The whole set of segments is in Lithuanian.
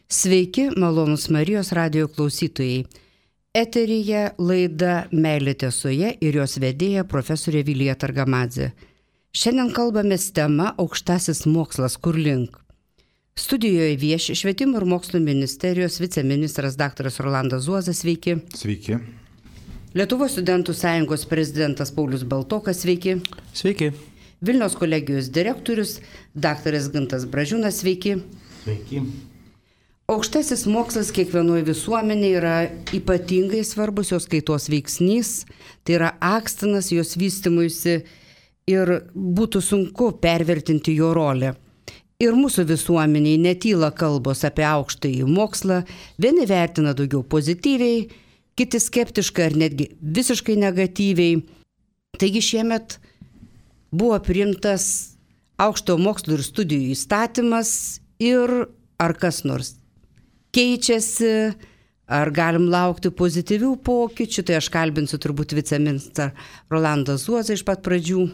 Sveiki, malonūs Marijos radijo klausytojai. Eteryje laida Meilė tiesoje ir jos vedėja profesorė Vilija Targamadzė. Šiandien kalbamės tema Aukštasis mokslas kur link. Studijoje vieši Švietimo ir mokslo ministerijos viceministras dr. Rolandas Zuozas. Sveiki. Sveiki. Lietuvos studentų sąjungos prezidentas Paulius Baltokas. Sveiki. Sveiki. Vilniaus kolegijos direktorius dr. Gintas Bražiūnas. Sveiki. Sveiki. Aukštasis mokslas kiekvienoje visuomenėje yra ypatingai svarbus jos kaitos veiksnys, tai yra akstinas jos vystymuisi ir būtų sunku pervertinti jo rolę. Ir mūsų visuomeniai netyla kalbos apie aukštąjį mokslą, vieni vertina daugiau pozityviai, kiti skeptiškai ar netgi visiškai negatyviai. Taigi šiemet buvo priimtas aukštojo mokslo ir studijų įstatymas ir ar kas nors keičiasi, ar galim laukti pozityvių pokyčių, tai aš kalbinsiu turbūt viceministrą Rolandą Zuozą iš pat pradžių.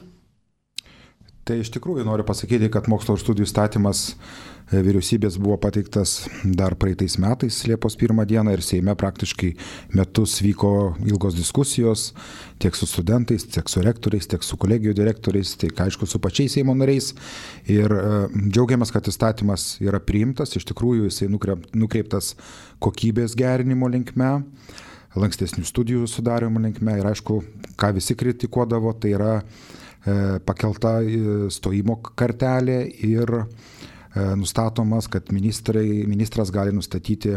Tai iš tikrųjų noriu pasakyti, kad mokslo ir studijų įstatymas vyriausybės buvo pateiktas dar praeitais metais, Liepos 1 dieną, ir Seime praktiškai metus vyko ilgos diskusijos tiek su studentais, tiek su rektoriais, tiek su kolegijų direktoriais, tiek aišku su pačiais Seimo nariais. Ir džiaugiamės, kad įstatymas yra priimtas, iš tikrųjų jisai nukreiptas kokybės gerinimo linkme, lankstesnių studijų sudarimo linkme ir aišku, ką visi kritikuodavo, tai yra pakelta stojimo kartelė ir nustatomas, kad ministras gali nustatyti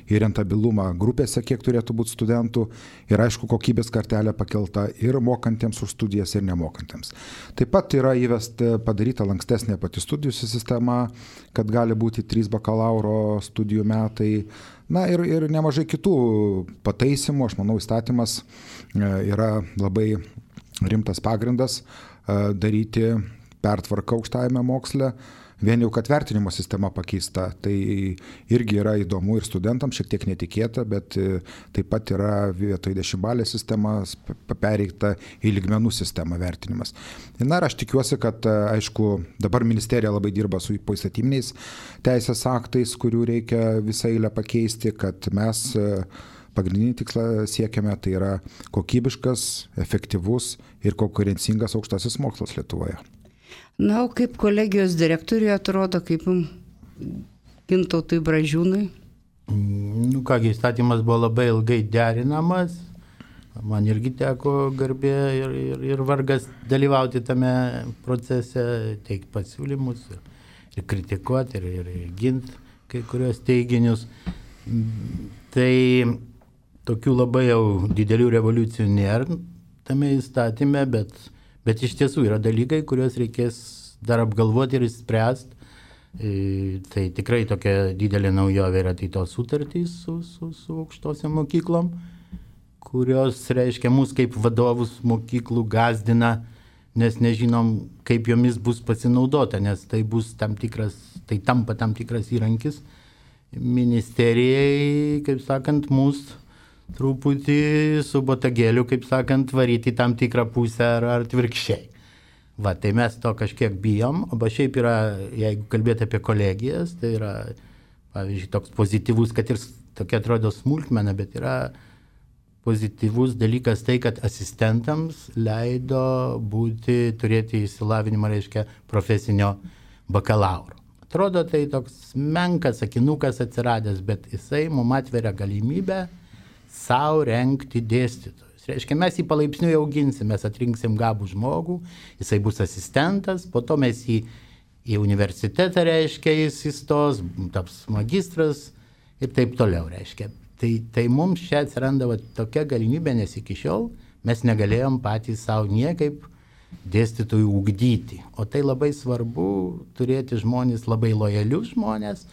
ir rentabilumą grupėse, kiek turėtų būti studentų, ir aišku, kokybės kartelė pakelta ir mokantiems už studijas ir nemokantiems. Taip pat yra padaryta lankstesnė pati studijų sistema, kad gali būti 3 bakalauro studijų metai, na ir nemažai kitų pataisimų. Aš manau, įstatymas yra labai rimtas pagrindas daryti pertvarką aukštajame moksle. Vien jau, kad vertinimo sistema pakeista, tai irgi yra įdomu ir studentams, šiek tiek netikėta, bet taip pat yra vietoj 10-balės sistemas pereita į lygmenų sistemą vertinimas. Na ir aš tikiuosi, kad, aišku, dabar ministerija labai dirba su poįstatyminiais teisės aktais, kurių reikia visą eilę pakeisti, kad mes pagrindinį tikslą siekiame, tai yra kokybiškas, efektyvus ir konkurencingas aukštasis mokslas Lietuvoje. Na, o kaip kolegijos direktoriui atrodo, kaip Gintautui Bražiūnui? Kągi, įstatymas buvo labai ilgai derinamas. Man irgi teko garbė ir vargas dalyvauti tame procese, teikti pasiūlymus ir kritikuoti ir ginti kai kurios teiginius. Tai tokių labai jau didelių revoliucijų nėra tame įstatyme, bet iš tiesų yra dalykai, kuriuos reikės dar apgalvoti ir spręsti. Tai tikrai tokia didelė naujovė yra tai tos sutartys su aukštosiom mokyklom, kurios reiškia mus kaip vadovus mokyklų gazdina, nes nežinom, kaip jomis bus pasinaudota, nes tai bus tampa tam tikras įrankis ministerijai, kaip sakant, mūsų truputį su botagėliu, kaip sakant, varyti tam tikrą pusę ar atvirkščiai. Va, tai mes to kažkiek bijom, o šiaip yra, jeigu kalbėti apie kolegijas, tai yra, pavyzdžiui, toks pozityvus, kad ir tokia atrodo smulkmena, bet yra pozityvus dalykas tai, kad asistentams leido turėti išsilavinimą, reiškia, profesinio bakalauro. Atrodo, tai toks menkas sakinukas atsiradęs, bet jisai mums atveria galimybę savo renkti dėstytojus. Reiškia, mes jį palaipsniui auginsim, mes atrinksim gabų žmogų, jisai bus asistentas, po to mes jį į universitetą, reiškia, jis įstos, taps magistras ir taip toliau, reiškia. Tai mums čia atsiranda tokia galimybė, nes iki šiol mes negalėjom patys savo niekaip dėstytojų ugdyti. O tai labai svarbu turėti žmonės, labai lojalius žmonės,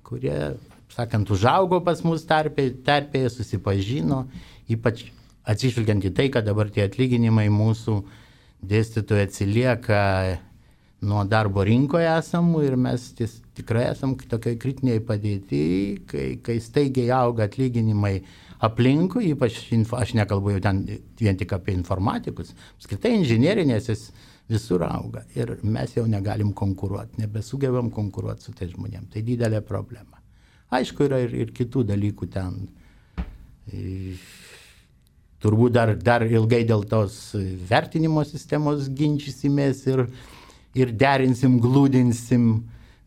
kurie, sakant, užaugo pas mus tarpėje, susipažino, ypač atsižvelgiant į tai, kad dabar tie atlyginimai mūsų dėstytojai atsilieka nuo darbo rinkoje esamų ir mes tikrai esam tokiai kritiniai padėti, kai staigiai auga atlyginimai aplinkui, ypač aš nekalbu jau ten vien tik apie informatikus, apskritai inžinierinės visur auga ir mes jau negalim konkuruoti, nebesugebam konkuruoti su tai žmonėm. Tai didelė problema. Aišku, yra ir kitų dalykų ten. Turbūt dar ilgai dėl tos vertinimo sistemos ginčysimės ir derinsim, glūdinsim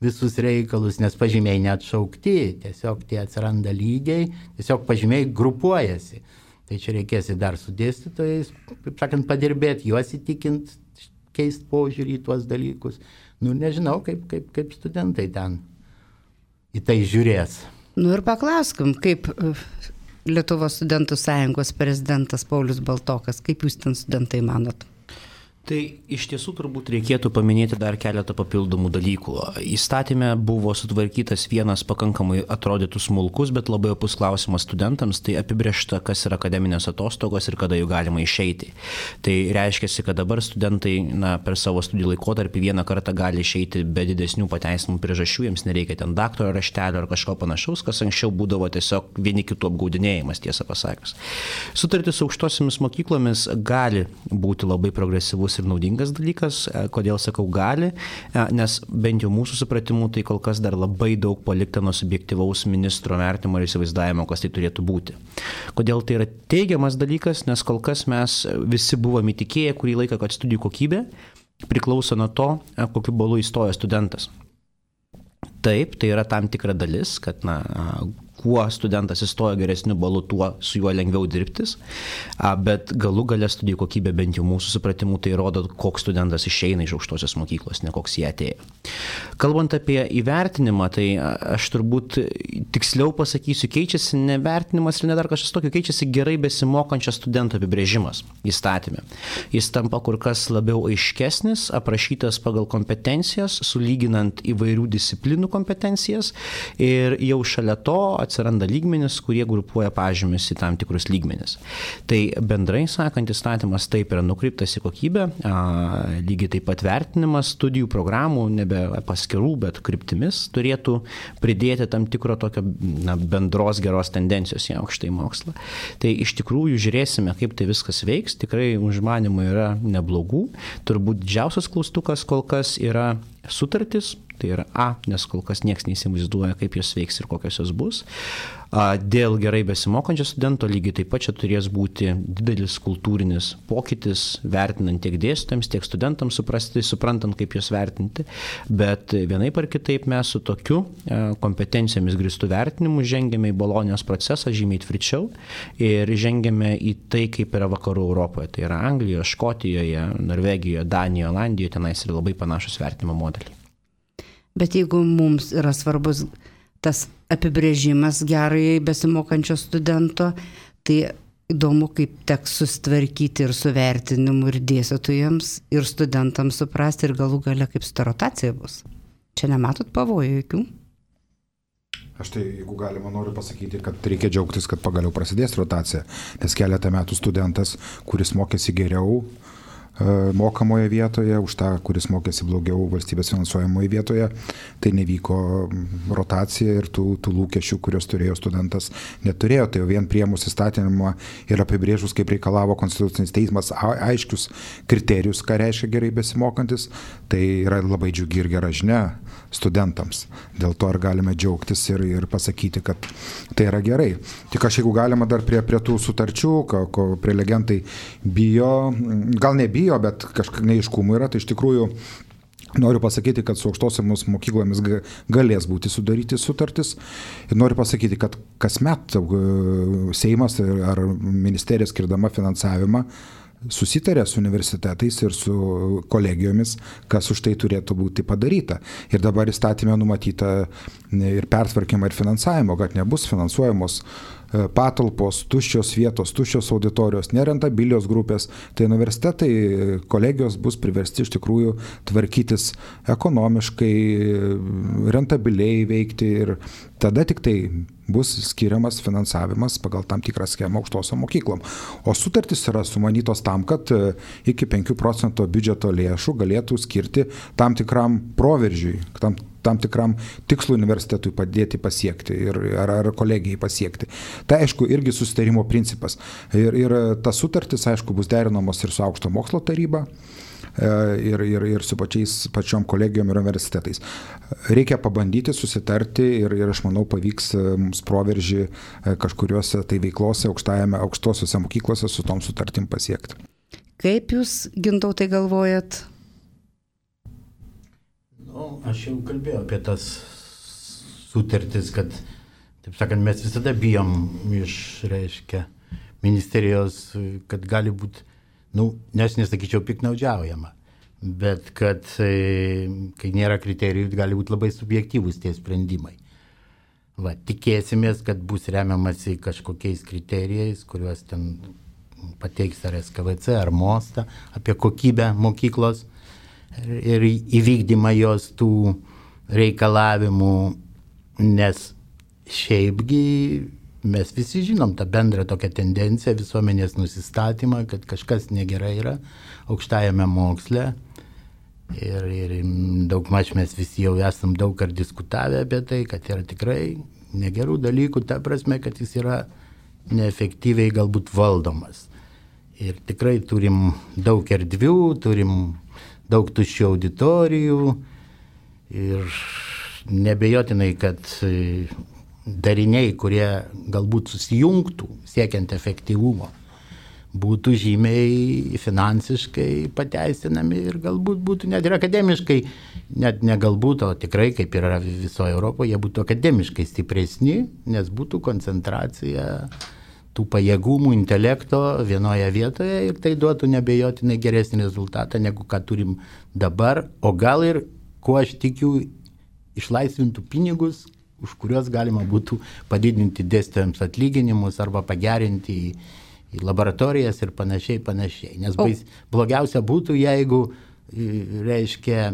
visus reikalus, nes pažymiai neatšaukti, tiesiog tie atsiranda lygiai, tiesiog pažymiai grupuojasi. Tai čia reikės dar su dėstytojais, kaip sakant, padirbėti, juos įtikint, keisti požiūrį į tuos dalykus. Nežinau, kaip studentai ten į tai žiūrės. Ir paklauskim, kaip Lietuvos studentų sąjungos prezidentas Paulius Baltokas, kaip jūs ten studentai manot? Tai iš tiesų turbūt reikėtų paminėti dar keletą papildomų dalykų. Įstatyme buvo sutvarkytas vienas pakankamai atrodytų smulkus, bet labai opus klausimas studentams, tai apibrėžta, kas yra akademinės atostogos ir kada jų galima išeiti. Tai reiškia, kad dabar studentai per savo studijų laikotarpį vieną kartą gali išeiti be didesnių pateisinimų priežasčių, jiems nereikia ten daktaro raštelio ar kažko panašaus, kas anksčiau būdavo tiesiog vieni kitų apgaudinėjimas, tiesą pasakius. Sutartis su aukštosiomis mokyklomis gali būti labai progresyvus ir naudingas dalykas. Kodėl sakau gali? Nes bent jau mūsų supratimu tai kol kas dar labai daug palikta nuo subjektyvaus ministro vertimo ir įsivaizdavimo, kas tai turėtų būti. Kodėl tai yra teigiamas dalykas? Nes kol kas mes visi buvome įtikėję kurį laiką, kad studijų kokybė priklauso nuo to, kokiu balu įstoja studentas. Taip, tai yra tam tikra dalis, kad kuo studentas įstoja geresniu balu, tuo su juo lengviau dirbtis, bet galų gale studijų kokybė bent jau mūsų supratimu tai rodo, koks studentas išeina iš aukštosios mokyklos, ne koks jie atėjo. Kalbant apie įvertinimą, tai aš turbūt tiksliau pasakysiu, keičiasi ne vertinimas ir ne dar kažkas tokio, keičiasi gerai besimokančio studento apibrėžimas įstatyme. Jis tampa kur kas labiau aiškesnis, aprašytas pagal kompetencijas, sulyginant įvairių disciplinų kompetencijas ir jau šalia to atsiranda lygmenis, kurie grupuoja pažymius į tam tikrus lygmenis. Tai bendrai sakant, įstatymas taip yra nukreiptas į kokybę, lygiai taip pat vertinimas studijų programų, nebe paskirų, bet kryptimis turėtų pridėti tam tikro tokio bendros geros tendencijos į aukštąjį mokslą. Tai iš tikrųjų žiūrėsime, kaip tai viskas veiks, tikrai užmanimų yra neblogų. Turbūt didžiausias klaustukas kol kas yra sutartis, tai yra nes kol kas niekas neįsivaizduoja, kaip jos veiks ir kokios jos bus. Dėl gerai besimokančio studento lygiai taip pat čia turės būti didelis kultūrinis pokytis, vertinant tiek dėstytojams, tiek studentams suprantant, kaip jos vertinti, bet vienaip ar kitaip mes su tokiu kompetencijomis grįstų vertinimu žengiame į Bolonijos procesą žymiai tvirčiau ir žengiame į tai, kaip yra vakarų Europoje, tai yra Anglijoje, Škotijoje, Norvegijoje, Danijoje, Olandijoje, tenais yra labai panašus vertinimo modeliai. Bet jeigu mums yra svarbus tas apibrėžimas gerai besimokančio studento, tai įdomu, kaip teks susitvarkyti ir su vertinimu ir dėstytojams, ir studentams suprasti, ir galų gale kaip su ta rotacija bus. Čia nematot pavojų jokių? Aš tai, jeigu galima, noriu pasakyti, kad reikia džiaugtis, kad pagaliau prasidės rotacija, nes keletą metų studentas, kuris mokėsi geriau mokamoje vietoje, už tą, kuris mokėsi blogiau valstybės finansuojamoje vietoje, tai nevyko rotacija ir tų lūkesčių, kurios turėjo studentas, neturėjo. Tai jau vien priėmus įstatymą ir apibrėžus, kaip reikalavo Konstitucinis teismas, aiškius kriterijus, ką reiškia gerai besimokantis, tai yra labai džiugi ir gera žinia studentams. Dėl to ar galime džiaugtis ir pasakyti, kad tai yra gerai. Tik aš, jeigu galima dar prie tų sutarčių, ko prelegentai bijo, gal nebijo, bet kažkiek neaiškumų yra, tai iš tikrųjų noriu pasakyti, kad su aukštosiomis mokyklomis galės būti sudaryti sutartis ir noriu pasakyti, kad kasmet Seimas ar ministerija skirdama finansavimą susitarė su universitetais ir su kolegijomis, kas už tai turėtų būti padaryta. Ir dabar įstatymė numatyta ir pertvarkymą ir finansavimo, kad nebus finansuojamos patalpos, tuščios vietos, tuščios auditorijos, nerentabilios grupės, tai universitetai, kolegijos bus priversti iš tikrųjų tvarkytis ekonomiškai, rentabiliai veikti ir tada tik tai bus skiriamas finansavimas pagal tam tikrą schemą aukštosiom mokyklom. O sutartys yra sumanytos tam, kad iki 5% biudžeto lėšų galėtų skirti tam tikram proveržiui, tam tikram tikslui universitetui padėti pasiekti ar kolegijai pasiekti. Tai aišku, irgi susitarimo principas. Ir tas sutartis, aišku, bus derinamos ir su aukšto mokslo taryba, ir su pačiom kolegijom ir universitetais. Reikia pabandyti susitarti ir aš manau pavyks mums proveržį kažkuriuose tai veiklose aukštosiuose mokyklose su tom sutartim pasiekti. Kaip jūs, Gintautai, galvojat? Aš jau kalbėjau apie tas sutartis, kad, taip sakant, mes visada bijom reiškia, ministerijos, kad gali būti, nes nesakyčiau piknaudžiaujama, bet kad kai nėra kriterijų, gali būti labai subjektyvūs tie sprendimai. Tikėsimės, kad bus remiamasi kažkokiais kriterijais, kuriuos ten pateiks ar SKVC, ar Mostą, apie kokybę mokyklos ir įvykdymą jos tų reikalavimų, nes šiaipgi mes visi žinom tą bendrą tokią tendenciją, visuomenės nusistatymą, kad kažkas negerai yra aukštajame moksle ir daugmaž mes visi jau esam daug ar diskutavę apie tai, kad yra tikrai negerų dalykų, ta prasme, kad jis yra neefektyviai galbūt valdomas. Ir tikrai turim daug erdvių, turim daug tuščių auditorijų ir nebejotinai, kad dariniai, kurie galbūt susijungtų siekiant efektyvumo, būtų žymiai finansiškai pateisinami ir galbūt būtų net ir akademiškai, net ne galbūt, o tikrai, kaip yra visoje Europoje, jie būtų akademiškai stipresni, nes būtų koncentracija tų pajėgumų, intelekto vienoje vietoje ir tai duotų nebejotinai geresnį rezultatą, negu ką turim dabar, o gal ir, kuo aš tikiu, išlaisvintų pinigus, už kuriuos galima būtų padidinti dėstytojams atlyginimus arba pagerinti į laboratorijas ir panašiai. Nes blogiausia būtų, jeigu, reiškia,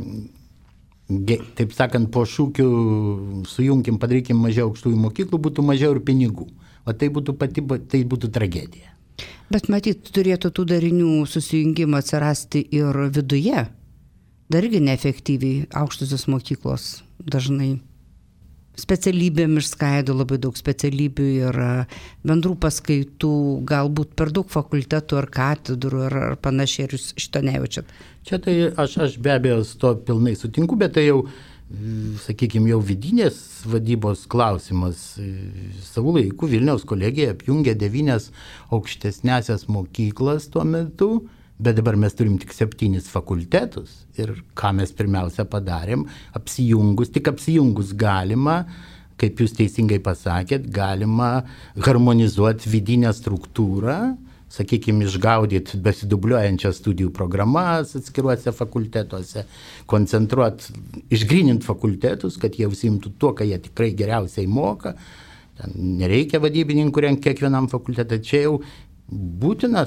taip sakant, po šūkių sujunkim, padarykim mažiau aukštųjų mokyklų, būtų mažiau ir pinigų. O tai būtų tragedija. Bet matyt, turėtų tų darinių susijungimą atsirasti ir viduje. Dargi neefektyviai aukštosios mokyklos dažnai specialybėm išskaido, labai daug specialybių ir bendrų paskaitų, galbūt per daug fakultetų ar katedrų ar panašiai, ir jūs šito nejaučiat. Čia tai aš be abejo su to pilnai sutinku, bet tai jau, sakykime, jau vidinės vadybos klausimas. Savų laikų Vilniaus kolegija apjungė 9 aukštesnėsias mokyklas tuo metu, bet dabar mes turim tik 7 fakultetus. Ir ką mes pirmiausia padarėm, tik apsijungus galima, kaip jūs teisingai pasakėt, galima harmonizuoti vidinę struktūrą, sakykime, išgaudyti besidubliuojančias studijų programas atskiruose fakultetuose, koncentruoti, išgryninti fakultetus, kad jie užsiimtų tuo, ką jie tikrai geriausiai moka. Ten nereikia vadybininkų rengti kiekvienam fakultetui. Čia jau būtina,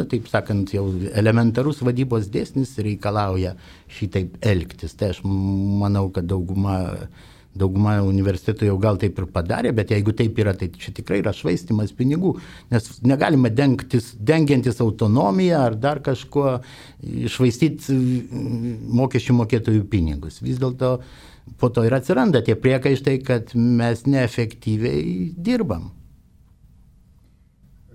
taip sakant, jau elementarus vadybos dėsnis reikalauja šitaip elgtis. Tai aš manau, kad dauguma universitetų jau gal taip ir padarė, bet jeigu taip yra, tai čia tikrai yra švaistimas pinigų, nes negalima dengiantis autonomiją ar dar kažko švaistyti mokesčių mokėtojų pinigus. Vis dėlto po to ir atsiranda tie priekaištai, kad mes neefektyviai dirbam.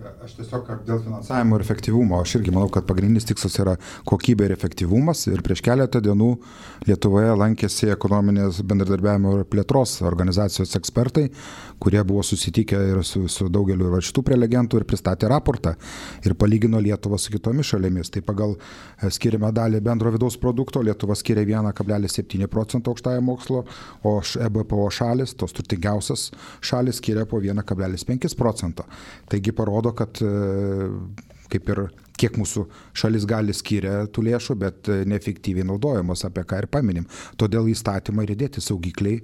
Aš tiesiog dėl finansavimo ir efektyvumo, aš irgi manau, kad pagrindinis tikslas yra kokybė ir efektyvumas. Ir prieš keletą dienų Lietuvoje lankėsi ekonominės bendradarbiavimo ir plėtros organizacijos ekspertai, kurie buvo susitikę ir su daugeliu šitų prelegentų ir pristatė raportą ir palygino Lietuvą su kitomis šalimis. Tai pagal skiriamą dalį bendro vidaus produkto Lietuva skiria 1,7% aukštajam mokslo, o EBPO šalis, tos turtingiausias šalis, skiria po 1,5%. Taigi parodo, kad kaip ir kiek mūsų šalis gali skiria tų lėšų, bet neefektyviai naudojamos, apie ką ir paminim. Todėl įstatymą ir įdėti saugikliai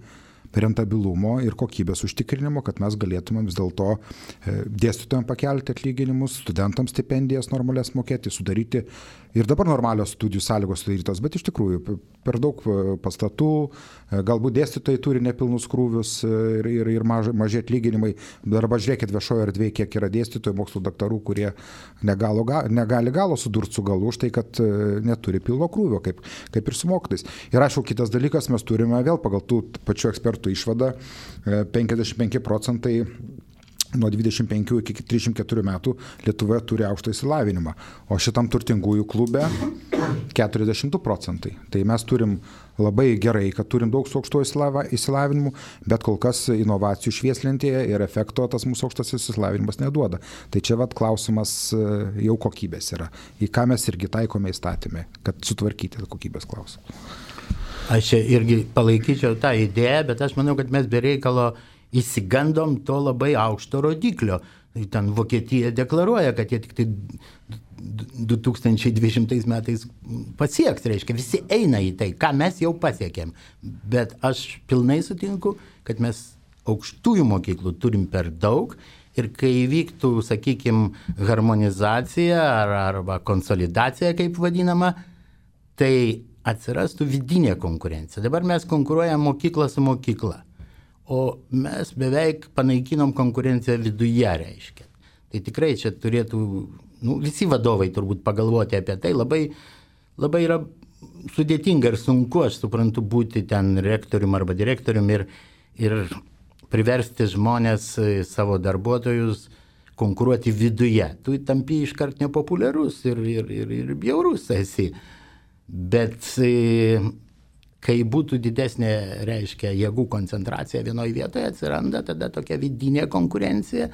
rentabilumo ir kokybės užtikrinimo, kad mes galėtume vis dėlto dėstytojams pakelti atlyginimus, studentams stipendijas normalias mokėti, sudaryti ir dabar normalios studijų sąlygos sudarytos, bet iš tikrųjų per daug pastatų, galbūt dėstytojai turi nepilnus krūvius ir maži atlyginimai. Arba žiūrėkit viešojo erdvėje, kiek yra dėstytojų, mokslo daktarų, kurie negali galo sudurti su galu už tai, kad neturi pilno krūvio, kaip ir su mokytojais. Ir aišku, kitas dalykas, mes turime vėl pagal tų pačių ekspertų išvadą 55% nuo 25 iki 34 metų Lietuvoje turi aukštą išsilavinimą, o šitam turtingųjų klube 42%. Tai mes turim labai gerai, kad turim daug su aukštuoju išsilavinimu, bet kol kas inovacijų švieslentėje ir efekto tas mūsų aukštasis išsilavinimas neduoda. Tai čia klausimas jau kokybės yra, į ką mes irgi taikome įstatymę, kad sutvarkyti kokybės klausimą. Aš irgi palaikyčiau tą idėją, bet aš manau, kad mes be reikalo įsigandom to labai aukšto rodiklio. Ten Vokietija deklaruoja, kad jie tik tai 2020 metais pasieks, reiškia, visi eina į tai, ką mes jau pasiekėm. Bet aš pilnai sutinku, kad mes aukštųjų mokyklų turim per daug ir kai vyktų, sakykime, harmonizacija arba konsolidacija, kaip vadinama, tai atsirastų vidinė konkurencija. Dabar mes konkuruojam mokyklą su mokykla. O mes beveik panaikinom konkurenciją viduje, reiškia. Tai tikrai čia turėtų, visi vadovai turbūt pagalvoti apie tai, labai yra sudėtinga ir sunku, aš suprantu, būti ten rektorium arba direktorium ir priversti žmonės, savo darbuotojus konkuruoti viduje. Tu tampi iškart nepopuliarus ir bjaurus esi. Bet kai būtų didesnė, reiškia, jėgų koncentracija vienoje vietoje, atsiranda tada tokia vidinė konkurencija,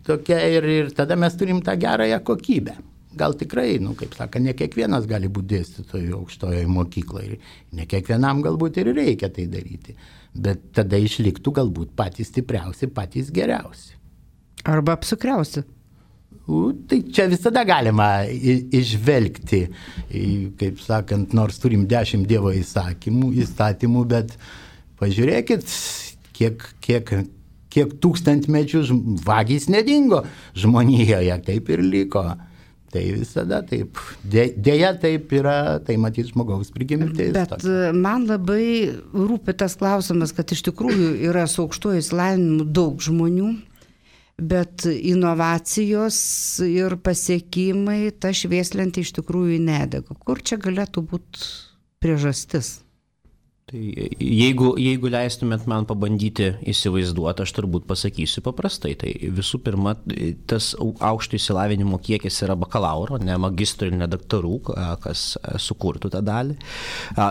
tokia ir tada mes turim tą gerąją kokybę. Gal tikrai, kaip saka, ne kiekvienas gali būti dėstytojų aukštojoje mokykloje, ne kiekvienam galbūt ir reikia tai daryti, bet tada išliktų galbūt patys stipriausi, patys geriausi. Arba apsukriausi. Tai čia visada galima išvelgti, kaip sakant, nors turim 10 Dievo įstatymų, bet pažiūrėkit, kiek tūkstantmečių vagys nedingo žmonijoje, taip ir liko. Tai visada taip. Deja taip yra, tai matys žmogaus prigimtis. Bet man labai rūpi tas klausimas, kad iš tikrųjų yra su aukštuoju išsilavinimu daug žmonių, bet inovacijos ir pasiekimai, ta švieslentė iš tikrųjų nedega. Kur čia galėtų būti priežastis? Tai jeigu leistumėt man pabandyti įsivaizduoti, aš turbūt pasakysiu paprastai. Tai visų pirma, tas aukšto išsilavinimo kiekis yra bakalauro, ne magistro ir ne daktarų, kas sukurtų tą dalį.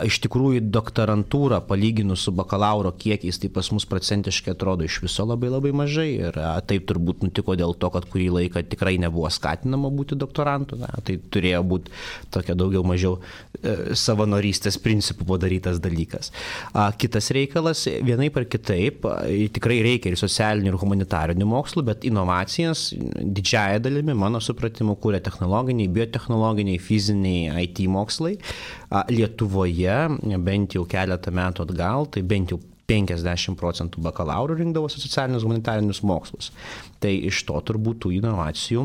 Iš tikrųjų, doktorantūra palyginus su bakalauro kiekiais, tai pas mus procentiškai atrodo iš viso labai labai mažai. Ir taip turbūt nutiko dėl to, kad kurį laiką tikrai nebuvo skatinama būti doktorantu. Tai turėjo būti tokia daugiau mažiau savanorystės principų padarytas dalykas. Kitas reikalas, vienaip ar kitaip, tikrai reikia ir socialinių ir humanitarinių mokslų, bet inovacijas didžiąją dalimi, mano supratimu, kūrė technologiniai, biotechnologiniai, fiziniai IT mokslai. Lietuvoje, bent jau keletą metų atgal, tai bent jau 50% bakalaurų rinkdavosi socialinius humanitarinius mokslus. Tai iš to turbūt tų inovacijų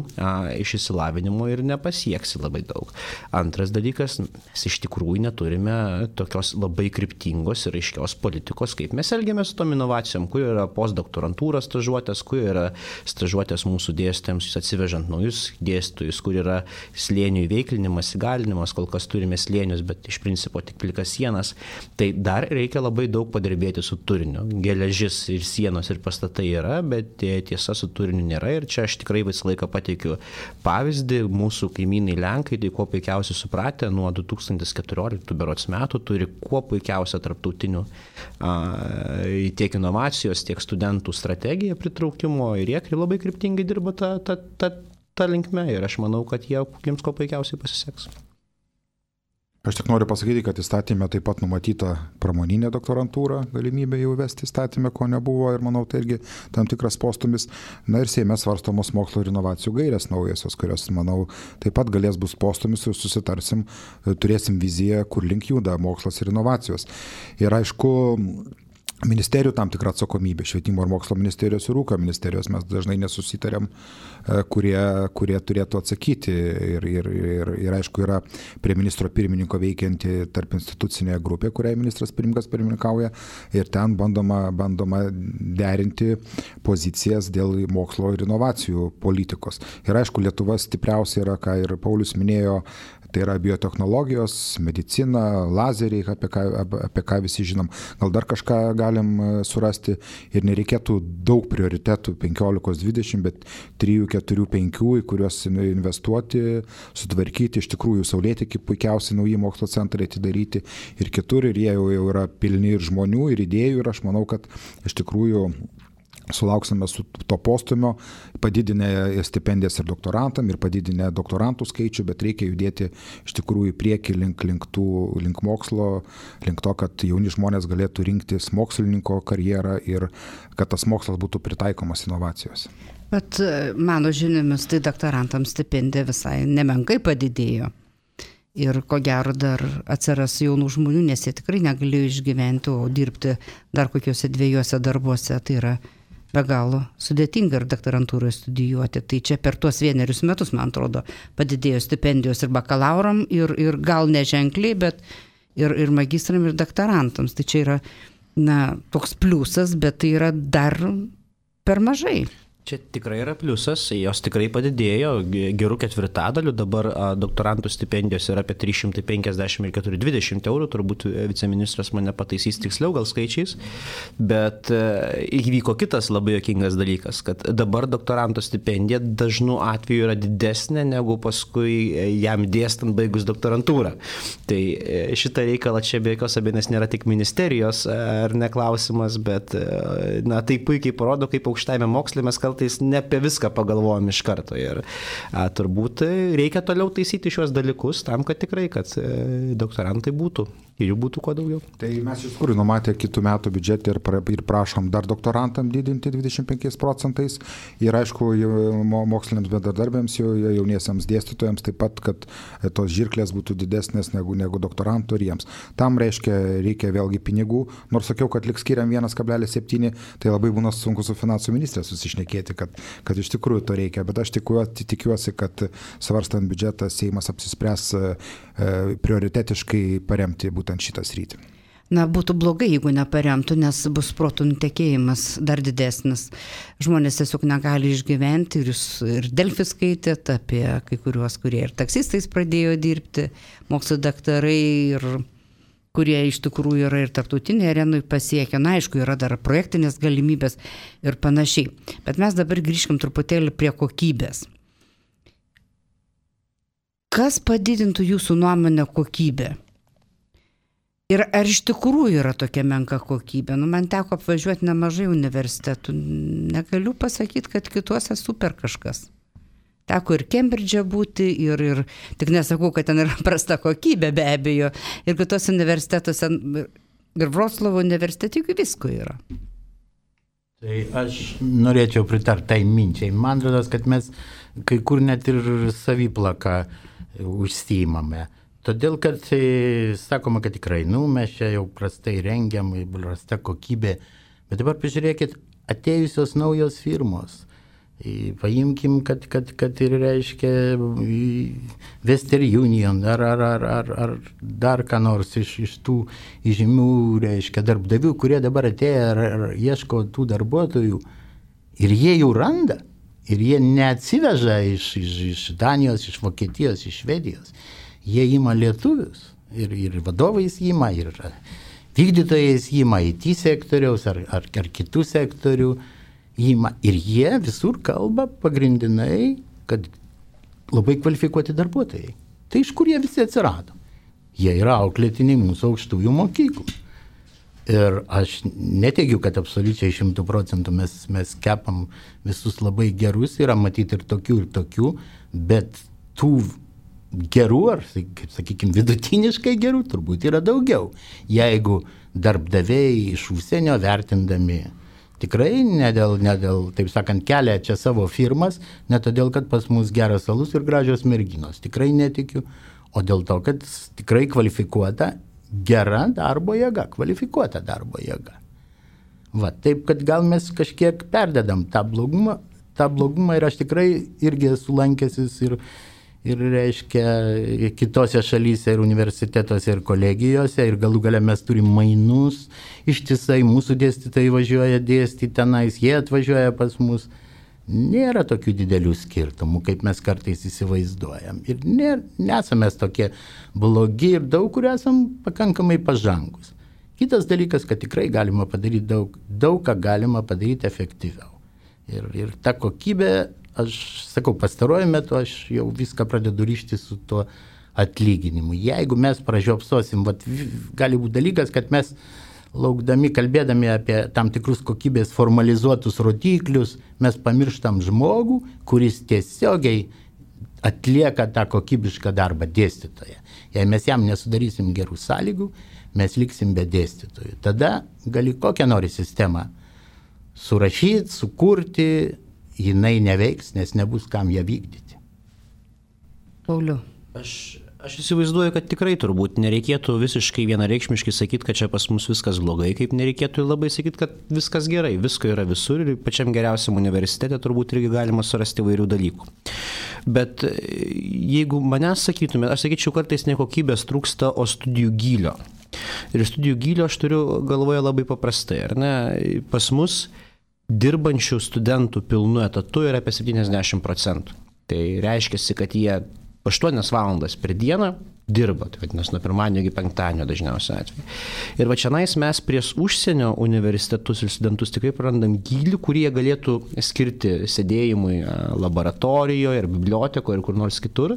iš išsilavinimo ir nepasieksi labai daug. Antras dalykas, mes iš tikrųjų neturime tokios labai kryptingos ir aiškios politikos, kaip mes elgiamės su tom inovacijom, kur yra postdoktorantūros stažuotės, kur yra stažuotės mūsų dėstytojams, atsivežant naujus dėstytojus, kur yra slėnių įveiklinimas, įgalinimas, kol kas turime slėnius, bet iš principo tik plikas sienas. Tai dar reikia labai daug padirbėti su turiniu. Geležis ir sienos ir pastatai yra, bet tiesa su turiniu nėra. Ir čia aš tikrai visą laiką pateikiu pavyzdį. Mūsų kaimynai Lenkai, tai kuo puikiausiai supratę, nuo 2014 berods metų turi kuo puikiausią tarptautinių tiek inovacijos, tiek studentų strategiją pritraukimo ir jie labai kryptingai dirba tą linkme. Ir aš manau, kad jiems kuo puikiausiai pasiseks. Aš tik noriu pasakyti, kad įstatymė taip pat numatyta pramoninė doktorantūra, galimybė jau vesti įstatymę, ko nebuvo ir manau, tai irgi tam tikras postumis. Na ir Seime svarstomos mokslo ir inovacijų gairės naujasios, kurios, manau, taip pat galės bus postumis ir susitarsim, turėsim viziją, kur link juda mokslas ir inovacijos. Ir aišku, ministerijų tam tikrą atsakomybę, švietimo ir mokslo ministerijos ir ūkio ministerijos. Mes dažnai nesusitarėm, kurie turėtų atsakyti. Ir aišku, yra prie ministro pirmininko veikianti tarp institucinė grupė, kuriai ministras pirmininkas pirmininkauja. Ir ten bandoma derinti pozicijas dėl mokslo ir inovacijų politikos. Ir aišku, Lietuva stipriausia yra, ką ir Paulius minėjo, tai yra biotechnologijos, medicina, lazeriai, apie ką visi žinom. Gal dar kažką galim surasti ir nereikėtų daug prioritetų, 15-20, bet 3, 4, 5, į kuriuos investuoti, sutvarkyti. Iš tikrųjų, Saulėtekį puikiausiai nauji mokslo centrai atidaryti ir kitur, ir jie jau yra pilni ir žmonių, ir idėjų, ir aš manau, kad iš tikrųjų sulauksime su to postumio, padidinę stipendijas ir doktorantam, ir padidinę doktorantų skaičių, bet reikia judėti iš tikrųjų į priekį link mokslo, link to, kad jauni žmonės galėtų rinktis mokslininko karjerą ir kad tas mokslas būtų pritaikomas inovacijos. Bet mano žiniomis, tai doktorantams stipendija visai nemenkai padidėjo. Ir ko gero dar atsiras jaunų žmonių, nes jie tikrai negalėjo išgyventi, o dirbti dar kokiuose 2 darbuose, tai yra be galo sudėtinga ir doktorantūroje studijuoti. Tai čia per tuos 1 metus, man atrodo, padidėjo stipendijos ir bakalauram, ir gal neženkliai, bet ir magistram, ir doktorantams. Tai čia yra toks pliusas, bet tai yra dar per mažai. Čia tikrai yra pliusas, jos tikrai padidėjo gerų 4/4, dabar doktorantų stipendijos yra apie 350 ir 420 eurų, turbūt viceministras mane pataisys tiksliau gal skaičiais, bet įvyko kitas labai juokingas dalykas, kad dabar doktoranto stipendija dažnu atveju yra didesnė negu paskui jam dėstant baigus doktorantūrą. Tai šitą reikalą čia be jokios abejonės nėra tik ministerijos ar neklausimas, bet tai puikiai parodo, kaip aukštajame moksle mes kartais ne apie viską pagalvojom iš karto ir turbūt reikia toliau taisyti šios dalykus tam, kad tikrai, kad doktorantai būtų ir jų būtų kuo daugiau. Tai mes iš tikrųjų numatę kitų metų biudžetą ir prašom dar doktorantam didinti 25% ir aišku moksliniams bendradarbiams, jauniesiams dėstytojams taip pat, kad tos žirklės būtų didesnės negu doktorantų ir jiems. Tam reikia vėlgi pinigų, nors sakiau, kad liks skiriam 1,7, tai labai būna sunku su finansų ministrė susišnekėti, kad iš tikrųjų to reikia, bet aš tikiuosi, kad svarstant biudžetą Seimas apsispręs prioritetiškai paremti būtent šitą sritį. Būtų blogai, jeigu neparemtų, nes bus protų nutekėjimas dar didesnis. Žmonės tiesiog negali išgyventi ir Delfi skaitėt apie kai kuriuos, kurie ir taksistais pradėjo dirbti, mokslo daktarai ir kurie iš tikrųjų yra ir tarptautinėje arenoje pasiekę. Aišku, yra dar projektinės galimybės ir panašiai. Bet mes dabar grįžkim truputėlį prie kokybės. Kas padidintų jūsų nuomonę kokybę? Ir ar iš tikrųjų yra tokia menka kokybė? Man teko apvažiuoti nemažai universitetų. Negaliu pasakyti, kad kituose super kažkas. Teko ir Kembridže būti, ir tik nesakau, kad ten yra prasta kokybė, be abejo. Ir kitos universitetuose, ir Vroclavo universitete, juk visko yra. Tai aš norėčiau pritarti tai minčiai. Man atrodo, kad mes kai kur net ir saviplaką užsiimame. Todėl, kad sakoma, kad tikrai, mes čia jau prastai rengiam, prasta kokybė. Bet dabar pažiūrėkit, atėjusios naujos firmos. Paimkim, kad ir reiškia Western Union ar dar ką nors iš tų žymių, reiškia, darbdavių, kurie dabar atėjo ar ieško tų darbuotojų ir jie jau randa. Ir jie neatsiveža iš Danijos, iš Vokietijos, iš Švedijos. Jie ima lietuvius ir vadovais ima, ir vykdytojais ima IT sektoriaus ar kitų sektorių. Ir jie visur kalba pagrindinai, kad labai kvalifikuoti darbuotojai. Tai iš kur jie visi atsirado? Jie yra auklėtiniai mūsų aukštųjų mokyklų. Ir aš neteigiu, kad absoliučiai 100% mes kepam visus labai gerus, yra matyti ir tokių, bet tų gerų, ar, kaip sakykime, vidutiniškai gerų turbūt yra daugiau. Jeigu darbdaviai iš užsienio vertindami tikrai ne dėl, taip sakant, kelia čia savo firmas, ne todėl, kad pas mus geras alus ir gražios merginos. Tikrai netikiu, o dėl to, kad tikrai kvalifikuota, gera darbo jėga, kvalifikuota darbo jėga. Va, taip, kad gal mes kažkiek perdedam tą blogumą ir aš tikrai irgi esu lankęsis ir reiškia kitose šalyse ir universitetuose ir kolegijose ir galų gale mes turim mainus, ištisai mūsų dėstytojai važiuoja dėstyti tenais, jie atvažiuoja pas mus. Nėra tokių didelių skirtumų, kaip mes kartais įsivaizduojam. Ir nesame tokie blogi ir daug kur esam pakankamai pažangus. Kitas dalykas, kad tikrai galima padaryti daug ką galima padaryti efektyviau. Ir ta kokybė, aš sakau, pastaruoju metu aš jau viską pradedu ryšti su tuo atlyginimu. Jeigu mes pražiopsosim, gali būti dalykas, kad mes laukdami, kalbėdami apie tam tikrus kokybės formalizuotus rodiklius, mes pamirštam žmogų, kuris tiesiogiai atlieka tą kokybišką darbą dėstytoją. Jei mes jam nesudarysim gerų sąlygų, mes liksim be dėstytojų. Tada gali kokią nori sistemą surašyti, sukurti, jinai neveiks, nes nebus kam ją vykdyti. Pauliau. Aš įsivaizduoju, kad tikrai turbūt nereikėtų visiškai vienareikšmiškai sakyti, kad čia pas mus viskas blogai, kaip nereikėtų labai sakyti, kad viskas gerai, visko yra visur ir pačiam geriausiam universitete turbūt irgi galima surasti įvairių dalykų. Bet jeigu manęs sakytume, aš sakyčiau, kartais ne kokybės trūksta, o studijų gylio. Ir studijų gylio aš turiu galvoje labai paprastai, ar ne? Pas mus dirbančių studentų pilnu etatu yra apie 70%. Tai reiškia, kad jie 8 valandas per dieną dirba, tai vadinasi, nuo pirmadienio iki penktadienio dažniausiai atveju. Ir va čianais mes prieš užsienio universitetus ir studentus tikrai prarandam gylį, kurį jie galėtų skirti sėdėjimui laboratorijoje ir bibliotekoje ir kur nors kitur,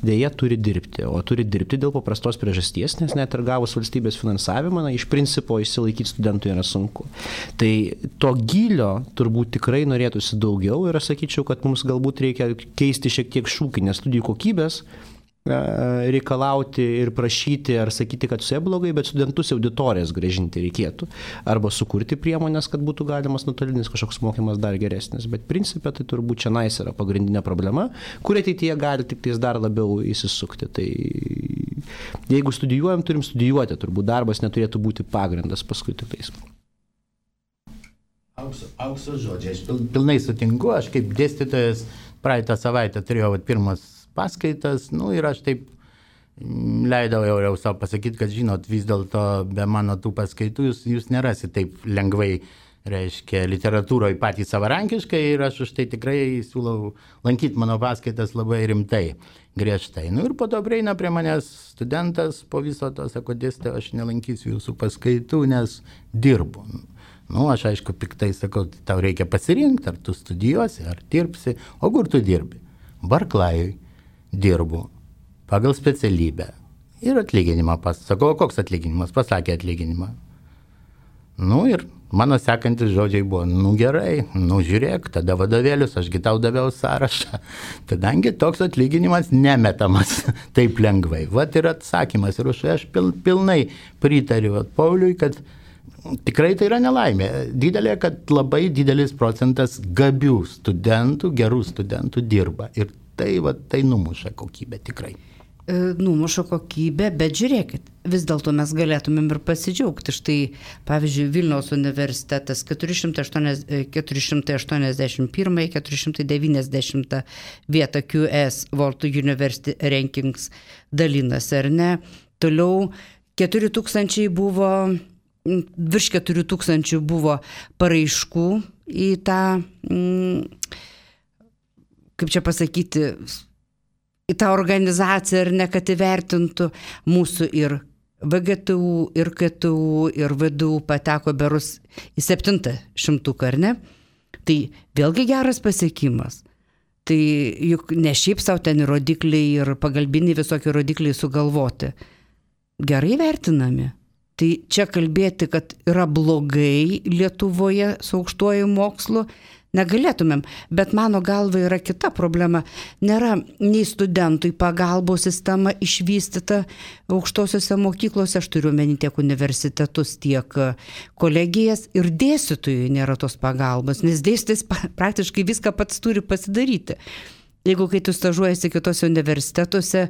dėja turi dirbti. O turi dirbti dėl paprastos priežasties, nes net ir gavus valstybės finansavimą, iš principo išsilaikyti studentui yra sunku. Tai to gylio turbūt tikrai norėtųsi daugiau ir aš sakyčiau, kad mums galbūt reikia keisti šiek tiek šūkį, nes studijų kokybės reikalauti ir prašyti ar sakyti, kad su jie blogai, bet studentus į auditorijas grąžinti reikėtų. Arba sukurti priemonės, kad būtų galimas nuotolinis kažkoks mokymas dar geresnis. Bet principė tai turbūt čia nais yra pagrindinė problema, kur ateityje gali tik tais dar labiau įsisukti. Tai jeigu studijuojam, turim studijuoti. Turbūt darbas neturėtų būti pagrindas paskui tik tais. Aukso žodžiai. Aš pilnai sutinku. Aš kaip dėstytojas praeitą savaitę turėjau pirmas paskaitas, ir aš taip leidau jau savo pasakyti, kad žinot, vis dėlto be mano tų paskaitų jūs nerasite taip lengvai, reiškia, literatūroje patys savarankiškai ir aš už tai tikrai siūlau lankyti mano paskaitas labai rimtai, griežtai. Ir po to prieina prie manęs studentas, po viso to sako, dėstytoja, aš nelankysiu jūsų paskaitų, nes dirbu. Aš aišku piktai sakau, tau reikia pasirinkti, ar tu studijuosi, ar dirbsi, o kur tu dirbi? Barklajui dirbu pagal specialybę ir atlyginimą pasakau, koks atlyginimas, pasakė atlyginimą. Ir mano sekantis žodžiai buvo, gerai, žiūrėk, tada vadovėlius, ašgi tau daviau sąrašą, kadangi toks atlyginimas nemetamas taip lengvai. Vat ir atsakymas, ir aš pilnai pritariu Pauliui, kad tikrai tai yra nelaimė didelė, kad labai didelis procentas gabių studentų, gerų studentų dirba ir tai numuša kokybę tikrai. Numuša kokybę, bet žiūrėkit, vis dėlto mes galėtumėm ir pasidžiaugti. Štai, pavyzdžiui, Vilniaus universitetas 481, 490 vietą QS World University Rankings dalinasi, ar ne? Toliau 4000 buvo, virš 4000 buvo paraiškų į tą kaip čia pasakyti, į tą organizaciją ir ne, kad įvertintų mūsų ir VGTU, ir KTU, ir VDU pateko berus į 700, ar ne? Tai vėlgi geras pasiekimas. Tai juk ne šiaip savo ten rodikliai ir pagalbiniai visokie rodikliai sugalvoti. Gerai vertinami. Tai čia kalbėti, kad yra blogai Lietuvoje su aukštuoju mokslu, negalėtumėm, bet mano galva yra kita problema. Nėra nei studentui pagalbos sistema išvystyta aukštosiuose mokyklose, aš turiu omeny tiek universitetus, tiek kolegijas, ir dėstytojui nėra tos pagalbos, nes dėstytojas praktiškai viską pats turi pasidaryti. Jeigu kai tu stažuojasi kitose universitetuose,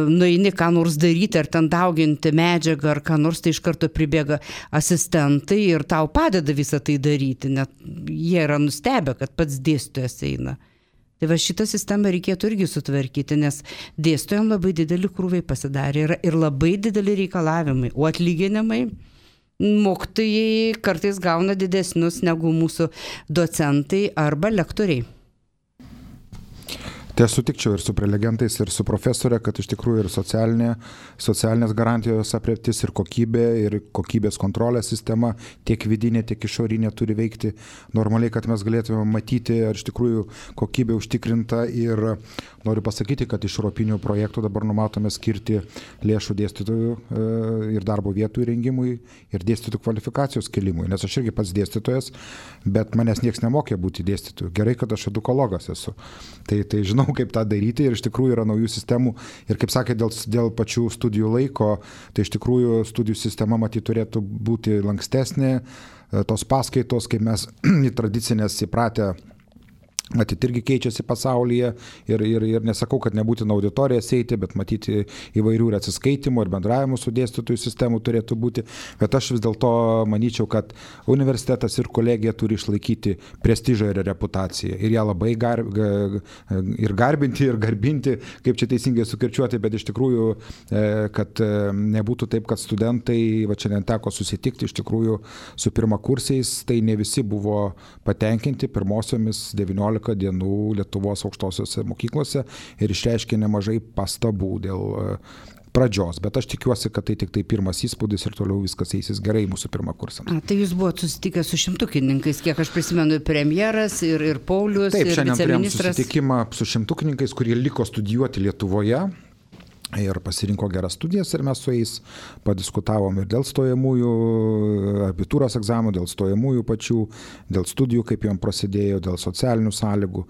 nueini ką nors daryti, ar ten dauginti medžiagą, ar ką nors, tai iš karto pribėga asistentai ir tau padeda visą tai daryti, net jie yra nustebę, kad pats dėstytojas eina. Tai va šitą sistemą reikėtų irgi sutvarkyti, nes dėstytojams labai dideli krūviai pasidarė ir labai dideli reikalavimai, o atlyginimai mokytojai kartais gauna didesnius negu mūsų docentai arba lektoriai. Tai aš sutikčiau ir su prelegentais, ir su profesorė, kad iš tikrųjų ir socialinės garantijos aprėptis, ir kokybė, ir kokybės kontrolės sistema, tiek vidinė, tiek išorinė turi veikti normaliai, kad mes galėtume matyti, ar iš tikrųjų kokybė užtikrinta. Ir noriu pasakyti, kad iš europinių projektų dabar numatome skirti lėšų dėstytojų ir darbo vietų įrengimui ir dėstytojų kvalifikacijos kelimui, nes aš irgi pats dėstytojas, bet manęs nieks nemokė būti dėstytoju. Gerai, kad aš edukologas esu. Tai žinau, kaip tą daryti ir iš tikrųjų yra naujų sistemų ir kaip sakė, dėl pačių studijų laiko, tai iš tikrųjų studijų sistema matyt turėtų būti lankstesnė, tos paskaitos, kaip mes į tradicinės įpratę, matyt, irgi keičiasi pasaulyje ir nesakau, kad nebūtina auditorijas eiti, bet matyti įvairių ir atsiskaitimų ir bendravimų su dėstytojų sistemų turėtų būti. Bet aš vis dėlto manyčiau, kad universitetas ir kolegija turi išlaikyti prestižą ir reputaciją. Ir ją labai ir garbinti, ir garbinti, kaip čia teisingai sukirčiuoti, bet iš tikrųjų, kad nebūtų taip, kad studentai, va čia neteko susitikti iš tikrųjų su pirmakursiais, tai ne visi buvo patenkinti pirmosiomis 19 dienų Lietuvos aukštosiose mokyklose ir išreiškė nemažai pastabų dėl pradžios, bet aš tikiuosi, kad tai tik tai pirmas įspūdis ir toliau viskas eisis gerai mūsų pirmakursams. Tai jūs buvote susitikę su šimtukininkais, kiek aš prisimenu, premjeras ir Paulius, taip, ir viceministras. Taip, šiandien turėjom susitikimą su šimtukininkais, kurie liko studijuoti Lietuvoje. Ir pasirinko geras studijas ir mes su jais padiskutavom ir dėl stojamųjų, abitūros egzaminų, dėl stojamųjų pačių, dėl studijų, kaip jom prasidėjo, dėl socialinių sąlygų.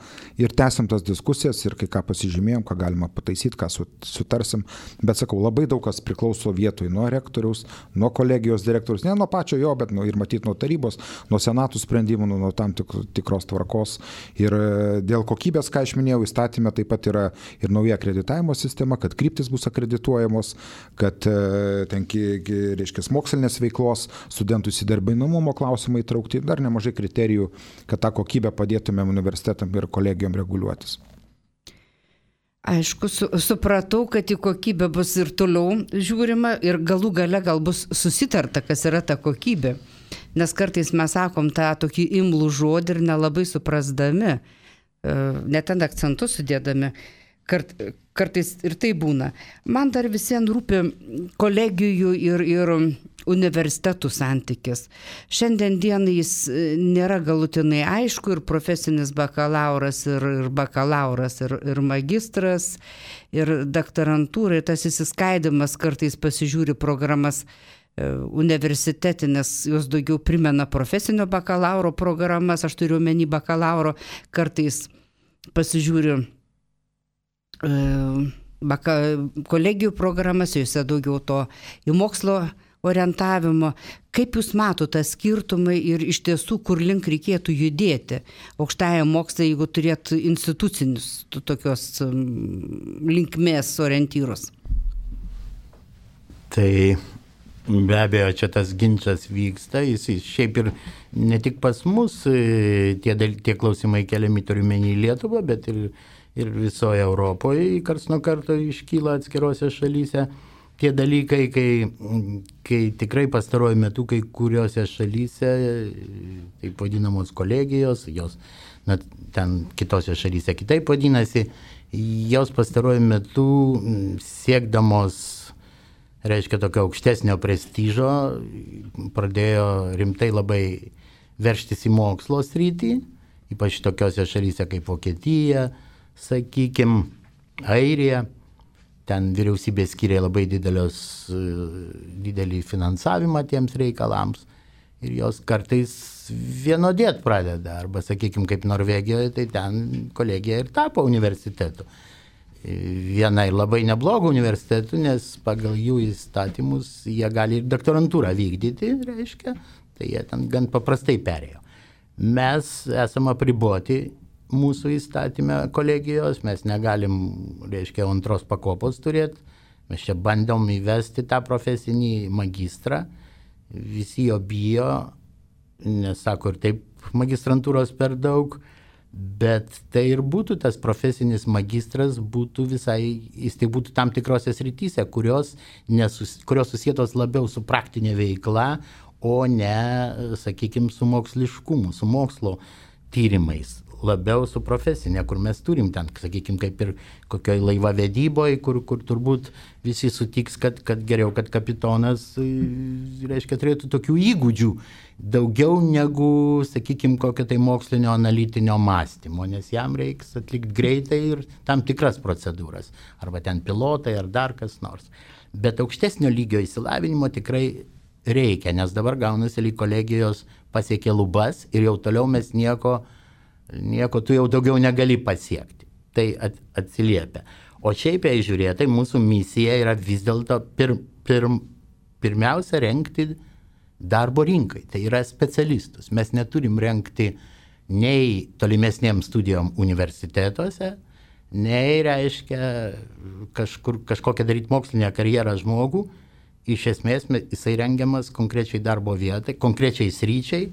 Ir tęsim tas diskusijas ir kai ką pasižymėjom, ką galima pataisyti, ką sutarsim. Bet sakau, labai daug kas priklauso vietoj nuo rektoriaus, nuo kolegijos direktoriaus, ne nuo pačio jo, bet ir matyti nuo tarybos, nuo senatų sprendimų, nuo tam tikros tvarkos. Ir dėl kokybės, ką aš minėjau, įstatyme taip pat yra ir nauja akreditavimo sistema, kad kryptis bus akredituojamos, kad reiškia mokslinės veiklos, studentų įsidarbinamumo klausimai įtraukti, dar nemažai kriterijų, kad tą kokybę padėtumėm universitetam ir kolegijom reguliuotis. Aišku, supratau, kad į kokybę bus ir toliau žiūrima ir galų gale gal bus susitarta, kas yra ta kokybė. Nes kartais mes sakom tą tokį imlų žodį ir nelabai suprasdami, net ten akcentus sudėdami. Kartais ir tai būna. Man dar visiems rūpi kolegijų ir universitetų santykis. Šiandien dienai jis nėra galutinai aišku ir profesinis bakalauras, ir bakalauras, ir magistras, ir daktarantūra, ir tas įsiskaidimas kartais pasižiūri programas universitetinės, jos daugiau primena profesinio bakalauro programas, aš turiu omeny bakalauro, kartais pasižiūriu kolegijų programas, juose daugiau to į mokslo orientavimo. Kaip jūs matote tą skirtumą ir iš tiesų, kur link reikėtų judėti aukštajam mokslui, jeigu turėtų institucinius tokios linkmės orientyrus? Tai be abejo, čia tas ginčas vyksta, jis šiaip ir ne tik pas mus, tie klausimai keliami turiuomenį į Lietuvą, bet ir visoje Europoje karts nuo karto iškyla atskirose šalyse tie dalykai, kai tikrai pastaruoju metu kai kuriuose šalyse, taip vadinamos kolegijos, jos ten kitose šalyse kitaip vadinasi, jos pastaruoju metu siekdamos, reiškia, tokio aukštesnio prestižo, pradėjo rimtai labai veržtis į mokslo sritį, ypač tokiose šalyse kaip Vokietija, sakykime, Airija, ten vyriausybė skiria labai didelį finansavimą tiems reikalams ir jos kartais vienodėt pradeda, arba, sakykime, kaip Norvegijoje, tai ten kolegija ir tapo universitetu. Viena ir labai neblogų universitetų, nes pagal jų įstatymus jie gali ir doktorantūrą vykdyti, reiškia, tai jie ten gan paprastai perėjo. Mes esame apriboti mūsų įstatymę kolegijos, mes negalim, reiškia, antros pakopos turėti. Mes čia bandom įvesti tą profesinį magistrą, visi jo bijo, nes sako ir taip magistrantūros per daug, bet tai ir būtų tas profesinis magistras, būtų visai, jis tai būtų tam tikrose srityse, kurios susietos labiau su praktinė veikla, o ne, sakykime, su moksliškumu, su mokslo tyrimais. Labiau su profesinė, kur mes turim ten, sakykime, kaip ir kokioj laivavedyboje, kur turbūt visi sutiks, kad geriau, kad kapitonas, reiškia, turėtų tokių įgūdžių daugiau negu, sakykime, kokio tai mokslinio analitinio mąstymo, nes jam reiks atlikti greitai ir tam tikras procedūras, arba ten pilotai ar dar kas nors. Bet aukštesnio lygio išsilavinimo tikrai reikia, nes dabar gaunasi, lyg kolegijos pasiekė lubas ir jau toliau mes nieko tu jau daugiau negali pasiekti. Tai atsiliepia. O šiaip jei žiūrėtai, mūsų misija yra vis dėlto pirmiausia rengti darbo rinkai. Tai yra specialistus. Mes neturim rengti nei tolimesnėms studijom universitetuose, nei, reiškia, kažkokią daryti mokslinę karjerą žmogų. Iš esmės jisai rengiamas konkrečiai darbo vietai, konkrečiai sryčiai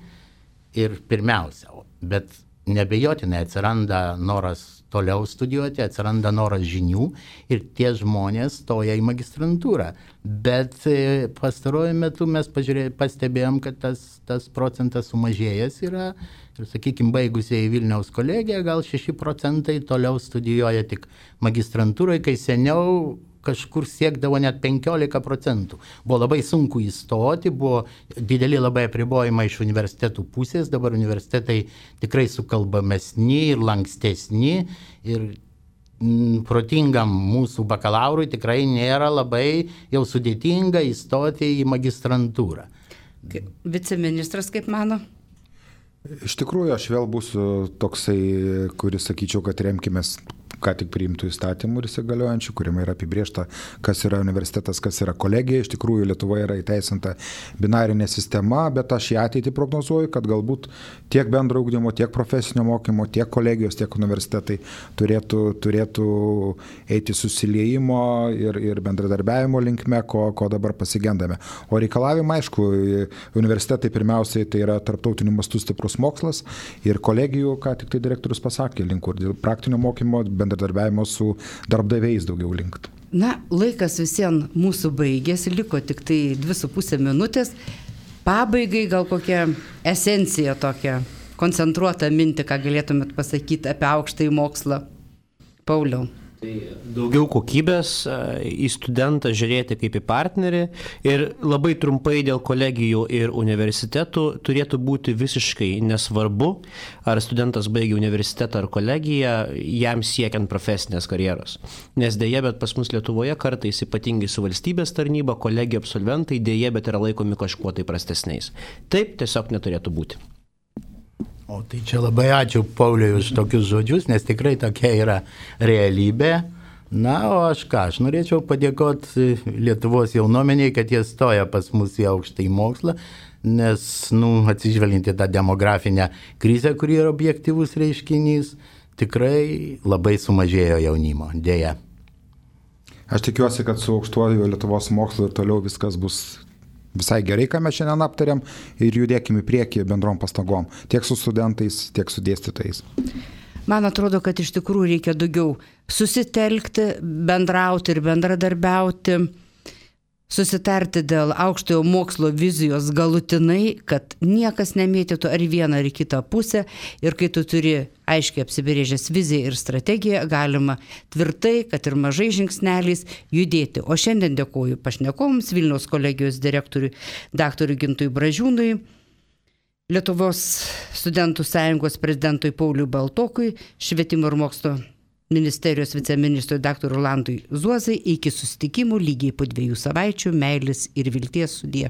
ir pirmiausia. Bet nebejotinai atsiranda noras toliau studijuoti, atsiranda noras žinių ir tie žmonės stoja į magistrantūrą. Bet pastaruoju metu mes pastebėjom, kad tas procentas sumažėjęs yra ir, sakykime, baigusieji Vilniaus kolegiją gal 6% toliau studijuoja tik magistrantūroje, kai seniau kažkur siekdavo net 15%. Buvo labai sunku įstoti, buvo dideli labai apribojimai iš universitetų pusės, dabar universitetai tikrai sukalbamesni ir lankstesni ir protingam mūsų bakalaurui tikrai nėra labai jau sudėtinga įstoti į magistrantūrą. Viceministras kaip mano? Iš tikrųjų, aš vėl būsiu toksai, kuris sakyčiau, kad remkimės ką tik priimtų įstatymų ir įsigaliojančių, kuriame yra apibrėžta, kas yra universitetas, kas yra kolegija. Iš tikrųjų, Lietuvoje yra įteisinta binarinė sistema, bet aš į ateitį prognozuoju, kad galbūt tiek bendro ugdymo, tiek profesinio mokymo, tiek kolegijos, tiek universitetai turėtų eiti susiliejimo ir bendradarbiavimo linkme, ko dabar pasigendame. O reikalavimai, aišku, universitetai pirmiausiai tai yra tarptautiniu mastu stiprus mokslas ir kolegijų, ką tik tai direktorius pasakė, link kur dėl praktinio mokymo, bendradarbiavimo su darbdaviais daugiau linktų. Na, laikas visiems mūsų baigėsi, liko tik tai 2,5 minutės. Pabaigai gal kokia esencija tokia, koncentruota mintį, ką galėtumėt pasakyti apie aukštąjį mokslą. Pauliau. Daugiau kokybės, į studentą žiūrėti kaip į partnerį ir labai trumpai dėl kolegijų ir universitetų turėtų būti visiškai nesvarbu, ar studentas baigia universitetą ar kolegiją, jam siekiant profesinės karjeros. Nes dėja, bet pas mus Lietuvoje kartais ypatingai su valstybės tarnyba, kolegijų absolventai dėja, bet yra laikomi kažkuo tai prastesniais. Taip tiesiog neturėtų būti. O tai čia labai ačiū Pauliui už tokius žodžius, nes tikrai tokia yra realybė. Na, o aš norėčiau padėkoti Lietuvos jaunuomeniai, kad jie stoja pas mus į aukštąjį mokslą, nes, atsižvelgiant į tą demografinę krizę, kuri yra objektyvus reiškinys, tikrai labai sumažėjo jaunimo, dėja. Aš tikiuosi, kad su aukštuoju Lietuvos mokslu ir toliau viskas bus visai gerai, ką mes šiandien aptarėm ir judėkime į priekį bendrom pastangom, tiek su studentais, tiek su dėstytojais. Man atrodo, kad iš tikrųjų reikia daugiau susitelkti, bendrauti ir bendradarbiauti, susitarti dėl aukštojo mokslo vizijos galutinai, kad niekas nemėtytų ar į vieną ar į kitą pusę ir kai tu turi aiškiai apsibrėžęs viziją ir strategiją, galima tvirtai, kad ir mažai žingsneliais judėti. O šiandien dėkoju pašnekovams, Vilniaus kolegijos direktoriui dr. Gintui Bražiūnui, Lietuvos studentų sąjungos prezidentui Pauliui Baltokui, Švietimo ir mokslo ministerijos viceministrui dr. Rolandui Zuozai. Iki susitikimų lygiai po 2 savaičių. Meilės ir vilties, sudie.